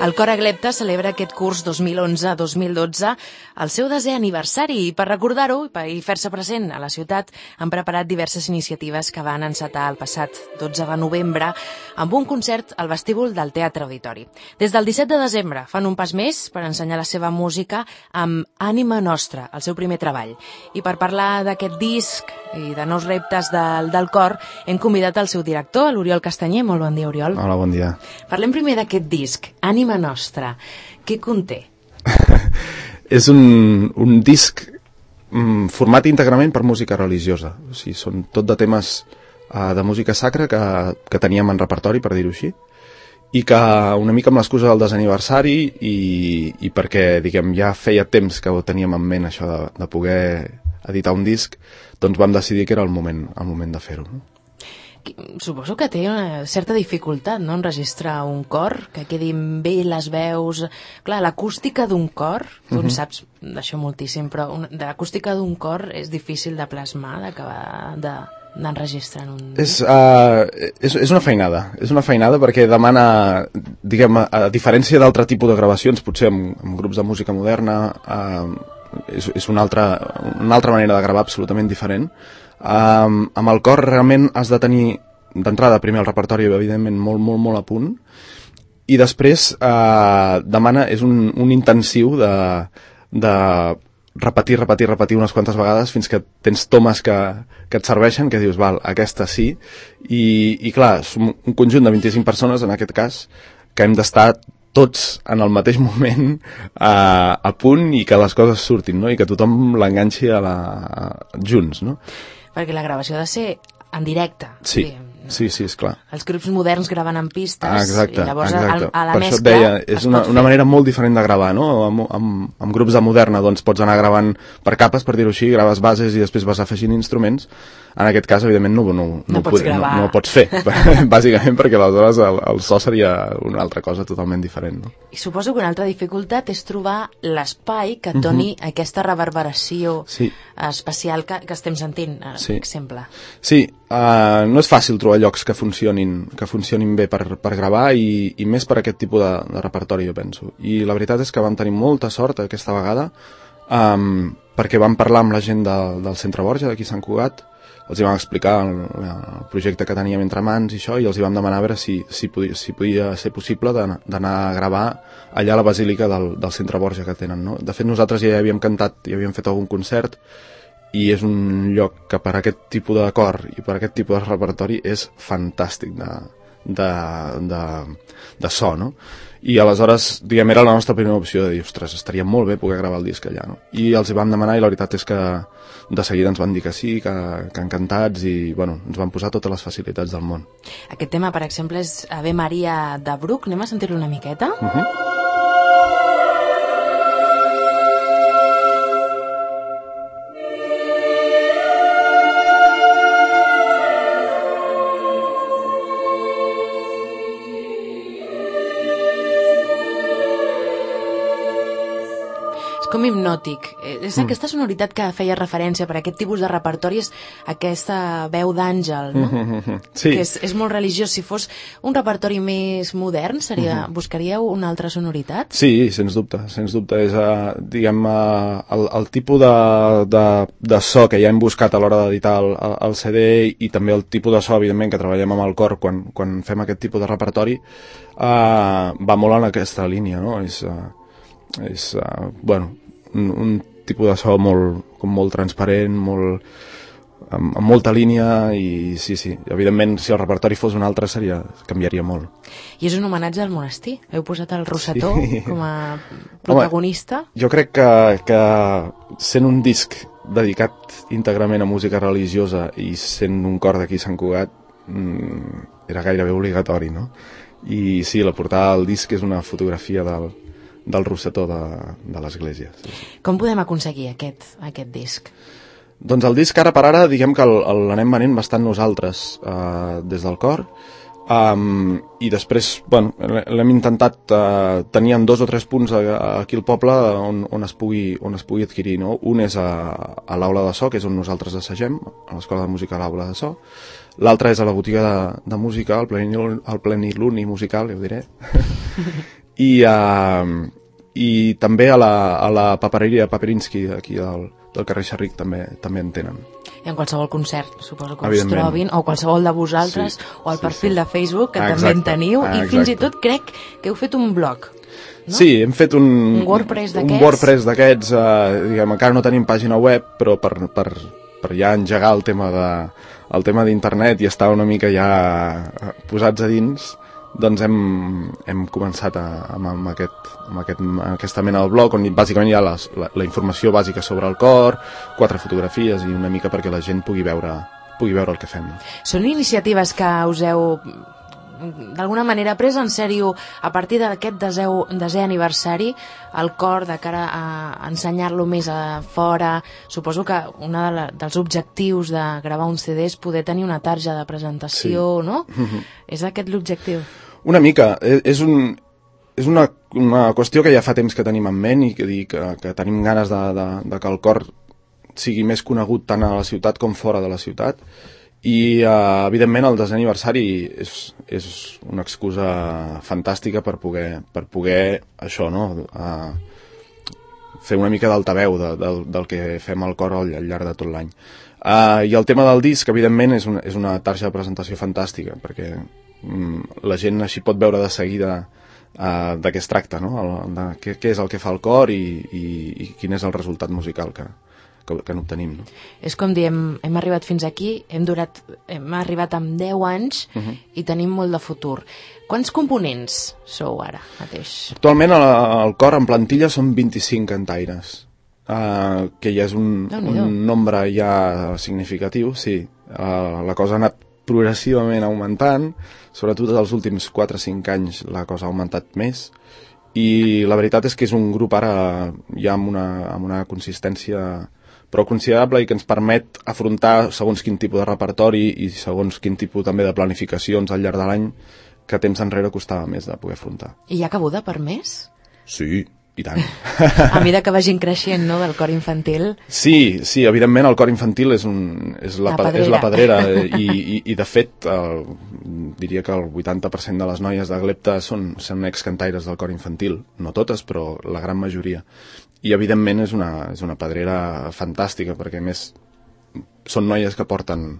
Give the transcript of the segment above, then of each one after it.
El Cor Aglepta celebra aquest curs 2011-2012 el seu 10è aniversari i per recordar-ho i fer-se present a la ciutat han preparat diverses iniciatives que van encetar el passat 12 de novembre amb un concert al vestíbul del Teatre Auditori. Des del 17 de desembre fan un pas més per ensenyar la seva música amb Ànima Nostra, el seu primer treball. I per parlar d'aquest disc i de nous reptes del cor hem convidat el seu director, l'Oriol Castanyer. Molt bon dia, Oriol. Hola, bon dia. Parlem primer d'aquest disc, Ànima Nostra. Què conté? És un disc format íntegrament per música religiosa. O sigui, són tot de temes de música sacra que teníem en repertori, per dir-ho així, i que una mica amb l'excusa del desaniversari i perquè, diguem, ja feia temps que ho teníem en ment, això de poder editar un disc, doncs vam decidir que era el moment de fer-ho. Suposo que té una certa dificultat, no?, enregistrar un cor, que quedin bé les veus. Clar, l'acústica d'un cor, tu en saps d'això moltíssim, però l'acústica d'un cor és difícil de plasmar, d'acabar d'enregistrar en un... És una feinada perquè demana, diguem, a diferència d'altre tipus de gravacions, potser amb grups de música moderna, és una altra manera de gravar absolutament diferent. Amb el cor realment has de tenir d'entrada primer el repertori evidentment molt a punt i després demana, és un intensiu de repetir unes quantes vegades fins que tens tomes que et serveixen, que dius, val, aquesta sí, i clar, som un conjunt de 25 persones en aquest cas que hem d'estar tots en el mateix moment a punt i que les coses surtin, no? I que tothom l'enganxi junts, no? Perquè la gravació ha de ser en directe. Sí, és clar. Els grups moderns graven en pistes. Exacte, i llavors exacte. A la per mescla això et deia, és una manera molt diferent de gravar, no? Amb grups de moderna doncs pots anar gravant per capes, per dir-ho així, graves bases i després vas afegint instruments. En aquest cas, evidentment, no ho pots fer, bàsicament perquè aleshores el so seria una altra cosa totalment diferent. No? I suposo que una altra dificultat és trobar l'espai que et doni aquesta reverberació especial que estem sentint, per exemple. Sí, no és fàcil trobar llocs que funcionin bé per gravar i més per aquest tipus de repertori, jo penso. I la veritat és que vam tenir molta sort aquesta vegada perquè vam parlar amb la gent del Centre Borja d'aquí a Sant Cugat. Els hi vam explicar el projecte que teníem entre mans i això, i els hi vam demanar a veure si podia ser possible d'anar a gravar allà a la basílica del Centre Borja que tenen, no? De fet, nosaltres ja hi havíem cantat, ja havíem fet algun concert, i és un lloc que per aquest tipus de cor i per aquest tipus de repertori és fantàstic de so, no? I aleshores, diguem, era la nostra primera opció de dir, ostres, estaria molt bé poder gravar el disc allà, no? I els hi vam demanar i la veritat és que de seguida ens van dir que sí, que encantats i, bueno, ens van posar totes les facilitats del món. Aquest tema, per exemple, és Ave Maria de Bruc. Anem a sentir-lo una miqueta? Com hipnòtic. És aquesta sonoritat que feia referència per aquest tipus de repertori, és aquesta veu d'àngel, no? Sí. Que és molt religiós. Si fos un repertori més modern, buscaríeu una altra sonoritat? Sí, sens dubte. És, diguem, el tipus de so que ja hem buscat a l'hora d'editar el CD i també el tipus de so, evidentment, que treballem amb el cor quan fem aquest tipus de repertori, va molt en aquesta línia, no? És bueno, un tipus de so molt transparent, amb molta línia i sí, evidentment si el repertori fos un altre canviaria molt. I és un homenatge al monestir? Heu posat el Rosetó com a protagonista? Home, jo crec que sent un disc dedicat íntegrament a música religiosa i sent un cor d'aquí a Sant Cugat era gairebé obligatori, no? I sí, la portada del disc és una fotografia del Rosetó de l'església. Sí. Com podem aconseguir aquest disc? Doncs el disc ara per ara, diguem que l'anem venent bastant nosaltres des del cor, i després, bueno, l'hem intentat tenir en 2 o 3 punts aquí al poble on es pugui adquirir, no? Un és a l'Aula de So, que és on nosaltres assagem, a l'Escola de Música a l'Aula de So. L'altre és a la botiga de música, el Pleniluni musical, ja ho diré. i també a la papereria Paperinsky aquí del carrer Xerric també en tenen. I en qualsevol concert, suposo que us trobin, o qualsevol de vosaltres, o al perfil de Facebook, que també en teniu, i fins i tot crec que heu fet un blog. No? Sí, hem fet un WordPress d'aquests. Un WordPress d'aquests, diguem, encara no tenim pàgina web, però per ja engegar el tema d'internet i estar una mica ja posats a dins, doncs hem començat amb aquesta mena del blog, on bàsicament hi ha la informació bàsica sobre el cor, 4 fotografies i una mica perquè la gent pugui veure el que fem. Són iniciatives que us heu d'alguna manera pres en sèrio a partir d'aquest desè aniversari, el cor de cara a ensenyar-lo més a fora. Suposo que un dels objectius de gravar un CD és poder tenir una tarja de presentació, sí. No? És aquest l'objectiu? Una mica. És una qüestió que ja fa temps que tenim en ment i que tenim ganes de que el cor sigui més conegut tant a la ciutat com fora de la ciutat. I evidentment el desè aniversari és una excusa fantàstica per poder això, no? Fer una mica d'altaveu del que fem al cor al llarg de tot l'any. I el tema del disc evidentment és una tarja de presentació fantàstica, perquè la gent així pot veure de seguida de què es tracta, no? De què és el que fa el cor i quin és el resultat musical que n'obtenim. No? És com dir, hem arribat fins aquí, hem arribat amb 10 anys i tenim molt de futur. Quants components sou ara mateix? Actualment al cor en plantilla són 25 cantaires, que ja és un nombre ja significatiu, sí. La cosa ha anat progressivament augmentant, sobretot els últims 4-5 anys la cosa ha augmentat més, i la veritat és que és un grup ara ja amb una consistència però considerable i que ens permet afrontar segons quin tipus de repertori i segons quin tipus també de planificacions al llarg de l'any que temps enrere costava més de poder afrontar. I hi ha cabuda per més? Sí, i tant. A mesura que vagin creixent, no?, del cor infantil. Sí, evidentment el cor infantil és la pedrera i de fet diria que el 80% de les noies de Glepta són excantaires del cor infantil, no totes, però la gran majoria. I evidentment és una pedrera fantàstica, perquè a més són noies que porten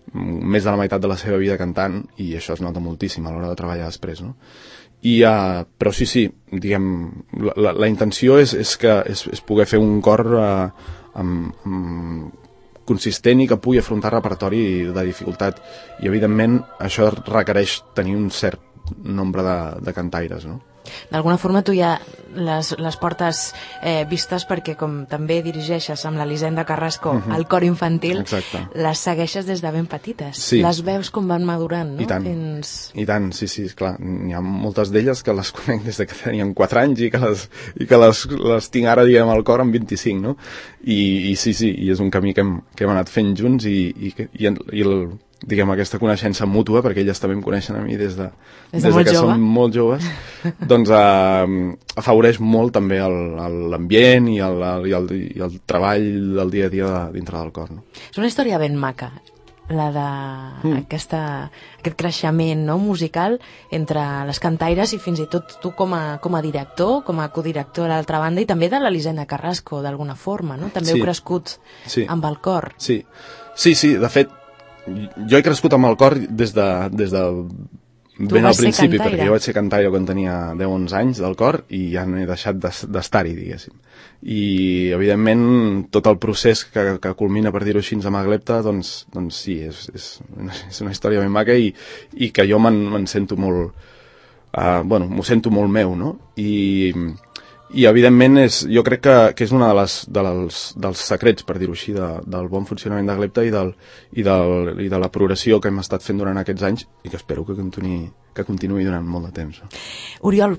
més de la meitat de la seva vida cantant i això es nota moltíssim a l'hora de treballar després, no? Però sí, diguem, la intenció és poder fer un cor consistent i que pugui afrontar repertori de dificultat, i evidentment això requereix tenir un cert nombre de cantaires, no? D'alguna forma tu ja les portes vistes, perquè com també dirigeixes amb l'Elisenda Carrasco el cor infantil. Exacte. Les segueixes des de ben petites. Sí. Les veus com van madurant, no? I tant, sí, clar. N'hi ha moltes d'elles que les conec des de que tenien 4 anys i que les tinc ara, diguem, al cor amb 25, no? I sí, i és un camí que hem anat fent junts i diguem, aquesta coneixença mútua, perquè elles també em coneixen a mi des de que som molt joves, doncs afavoreix molt també l'ambient i el treball del dia a dia dintre del cor. No? És una història ben maca, la d'aquest creixement, no, musical entre les cantaires i fins i tot tu com a director, com a codirector a l'altra banda, i també de l'Elisenda Carrasco, d'alguna forma, no? També heu crescut amb el cor. Sí, de fet, jo he crescut amb el cor des de ben al principi, perquè jo vaig ser cantaire quan tenia 10-11 anys del cor i ja no he deixat d'estar-hi, diguéssim. I, evidentment, tot el procés que culmina, per dir-ho així, amb Glepta, doncs sí, és una història ben maca i que jo me'n sento molt... m'ho sento molt meu, no? I evidentment jo crec que és un dels secrets, per dir-ho així, del bon funcionament de Glepta i de la progressió que hem estat fent durant aquests anys i que espero que continuï durant molt de temps. Oriol,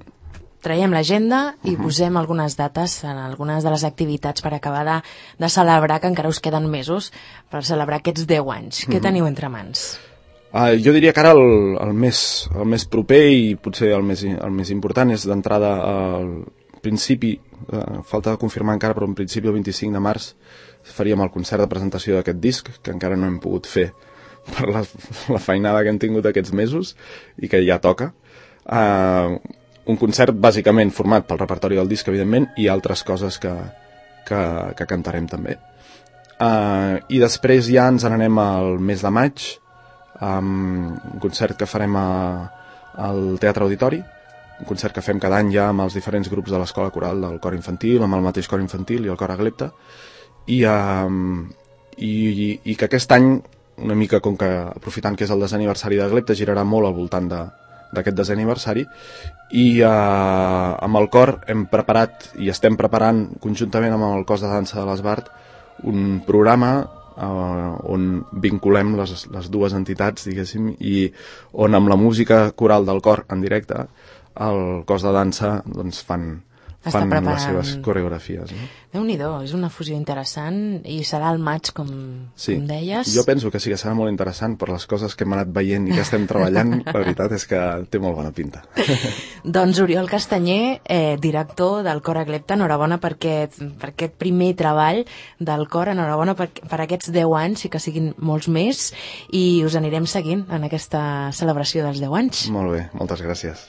traiem l'agenda i posem algunes dates en algunes de les activitats per acabar de celebrar, que encara us queden mesos per celebrar aquests 10 anys. Què teniu entre mans? Jo diria que ara el més proper i potser el més important és d'entrada al principi, falta de confirmar encara, però en principi el 25 de març faríem el concert de presentació d'aquest disc, que encara no hem pogut fer per la feinada que hem tingut aquests mesos i que ja toca. un concert bàsicament format pel repertori del disc, evidentment, i altres coses que cantarem també. I després ja ens n'anem al mes de maig, un concert que farem al Teatre Auditori, un concert que fem cada any ja amb els diferents grups de l'escola coral del cor infantil, amb el mateix cor infantil i el cor Aglepta, i que aquest any, una mica com que aprofitant que és el desè aniversari d'Aglepta, girarà molt al voltant d'aquest desè aniversari, i amb el cor hem preparat i estem preparant conjuntament amb el cos de dansa de l'Esbart un programa on vinculem les dues entitats, diguéssim, i on amb la música coral del cor en directe el cos de dansa doncs, fan les seves coreografies. No? Déu-n'hi-do, és una fusió interessant i serà al maig, com deies. Jo penso que sí que serà molt interessant per les coses que hem anat veient i que estem treballant. La veritat és que té molt bona pinta. Doncs Oriol Castanyer, director del cor Aglepta, enhorabona per aquest primer treball del cor, enhorabona per aquests 10 anys i que siguin molts més, i us anirem seguint en aquesta celebració dels 10 anys. Molt bé, moltes gràcies.